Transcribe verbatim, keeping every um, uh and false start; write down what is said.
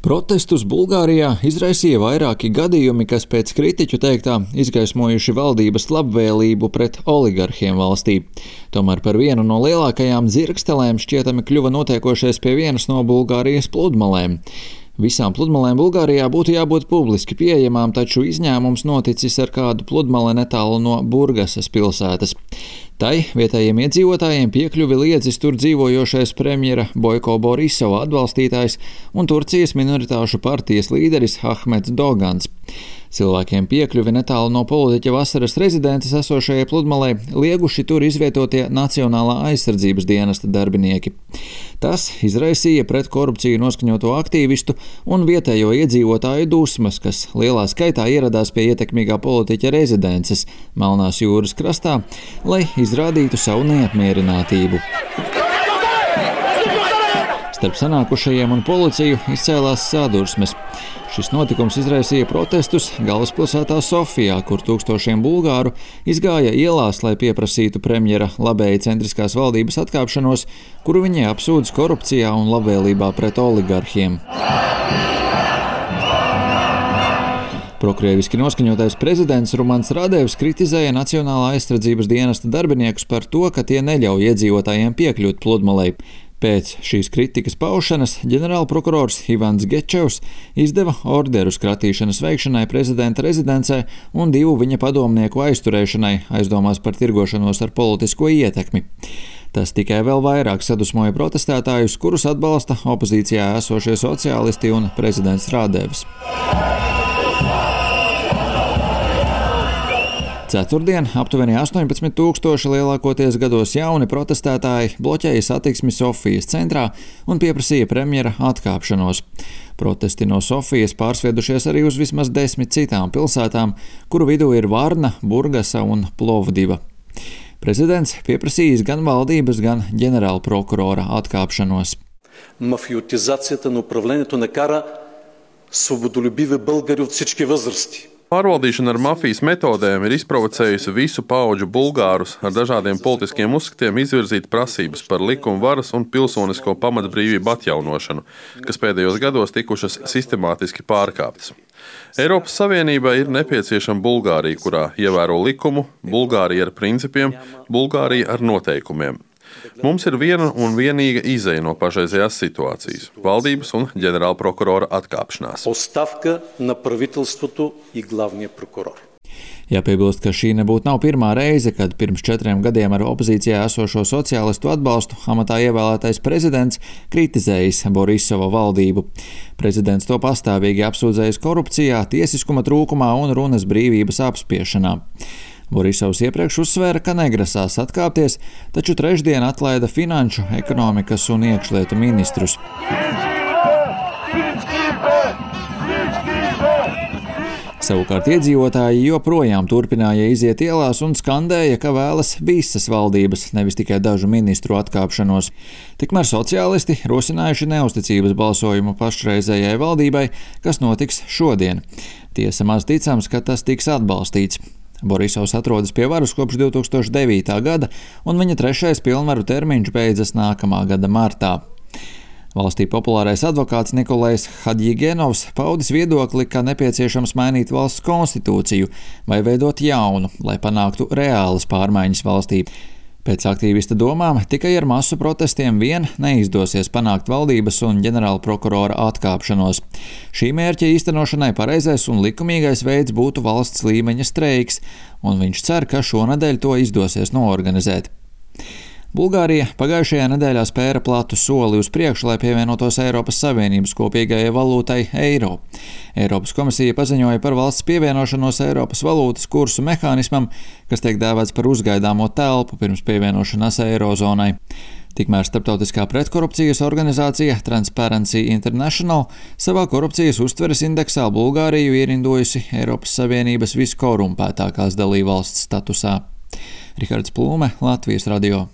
Protestus Bulgārijā izraisīja vairāki gadījumi, kas pēc kritiķu teiktā izgaismojuši valdības labvēlību pret oligarhiem valstī. Tomēr par vienu no lielākajām dzirkstelēm šķietami kļuva notiekošais pie vienas no Bulgārijas pludmalēm. Visām pludmalēm Bulgārijā būtu jābūt publiski pieejamām, taču izņēmums noticis ar kādu pludmali netālu no Burgasas pilsētas. Tai vietējiem iedzīvotājiem piekļuvi liedzis tur dzīvojošais premjera Bojko Borisova atbalstītājs un Turcijas minoritāšu partijas līderis Ahmeds Dogans. Cilvēkiem piekļuvi netālu no politiķa vasaras rezidences esošajai pludmalei lieguši tur izvietotie Nacionālā aizsardzības dienesta darbinieki. Tas izraisīja pret korupciju noskaņoto aktīvistu un vietējo iedzīvotāju dusmas, kas lielā skaitā ieradās pie ietekmīgā politiķa rezidences Melnās jūras krastā, lai izrādītu savu neapmierinātību. Starp sanākušajiem un policiju izcēlās sadursmes. Šis notikums izraisīja protestus galvaspilsētā Sofijā, kur tūkstošiem bulgāru izgāja ielās, lai pieprasītu premjera labēji centriskās valdības atkāpšanos, kuru viņi apsūdz korupcijā un labvēlībā pret oligarhiem. Prokrieviski noskaņotais prezidents Rumans Radevs kritizēja Nacionālā aizsardzības dienesta darbiniekus par to, ka tie neļauj iedzīvotājiem piekļūt pludmalei. Pēc šīs kritikas paušanas ģenerālprokurors Ivans Gečevs izdeva orderu skratīšanas veikšanai prezidenta rezidencē un divu viņa padomnieku aizturēšanai aizdomās par tirgošanos ar politisko ietekmi. Tas tikai vēl vairāk sadusmoja protestētājus, kurus atbalsta opozīcijā esošie sociālisti un prezidents Radevs. Ceturtdien aptuveni astoņpadsmit tūkstoši lielākoties gados jauni protestētāji bloķēja satiksmi Sofijas centrā un pieprasīja premjera atkāpšanos. Protesti no Sofijas pārsviedušies arī uz vismaz desmit citām pilsētām, kuru vidū ir Varna, Burgasa un Plovdiva. Prezidents pieprasījis gan valdības, gan ģenerālprokurora atkāpšanos. Мафиотизацията на управлението накара свободолюбиви българи от всички възрасти. Pārvaldīšana ar mafijas metodēm ir izprovocējusi visu paudžu bulgārus ar dažādiem politiskiem uzskatiem izvirzīt prasības par likuma varas un pilsonisko pamatbrīvību atjaunošanu, kas pēdējos gados tikušas sistemātiski pārkāptas. Eiropas Savienībai ir nepieciešama Bulgārija, kurā ievēro likumu, Bulgārija ar principiem, Bulgārija ar noteikumiem. Mums ir viena un vienīga izeja no pašreizējās situācijas – valdības un ģenerālprokurora atkāpšanās. Оставка на правителството и главния прокурор. Jāpiebilst, ka šī nebūtu nav pirmā reize, kad pirms četriem gadiem ar opozīcijā esošo sociālistu atbalstu amatā ievēlētais prezidents kritizējis Borisova valdību. Prezidents to pastāvīgi apsūdzējis korupcijā, tiesiskuma trūkumā un runas brīvības apspiešanā. Borisovs iepriekš uzsvēra, ka negrasās atkāpties, taču trešdien atlaida finanšu, ekonomikas un iekšlietu ministrus. Savukārt iedzīvotāji joprojām turpināja iziet ielās un skandēja, ka vēlas visas valdības, nevis tikai dažu ministru atkāpšanos. Tikmēr sociālisti rosinājuši neusticības balsojumu pašreizējai valdībai, kas notiks šodien. Tiesa maz ticams, ka tas tiks atbalstīts. Borisovs atrodas pie varas kopš divi tūkstoši devītā gada, un viņa trešais pilnvaru termiņš beidzas nākamā gada martā. Valstī populārais advokāts Nikolais Hadjigenovs paudis viedokli, ka nepieciešams mainīt valsts konstitūciju vai veidot jaunu, lai panāktu reālas pārmaiņas valstī. Pēc aktīvista domām, tikai ar masu protestiem vien neizdosies panākt valdības un ģenerālprokurora atkāpšanos. Šī mērķa īstenošanai pareizais un likumīgais veids būtu valsts līmeņa streiks, un viņš cer, ka šonedēļ to izdosies noorganizēt. Bulgārija pagājušajā nedēļā spēra platu soli uz priekšu, lai pievienotos Eiropas Savienības kopīgajai valūtai eiro. Eiropas komisija paziņoja par valsts pievienošanos Eiropas valūtas kursu mehānismam, kas tiek dēvēts par uzgaidāmo telpu pirms pievienošanās eirozonai. Tikmēr starptautiskā pretkorupcijas organizācija Transparency International savā korupcijas uztveres indeksā Bulgāriju ierindojusi Eiropas Savienības viskorumpētākās dalībvalsts statusā. Rihards Plūme, Latvijas radio.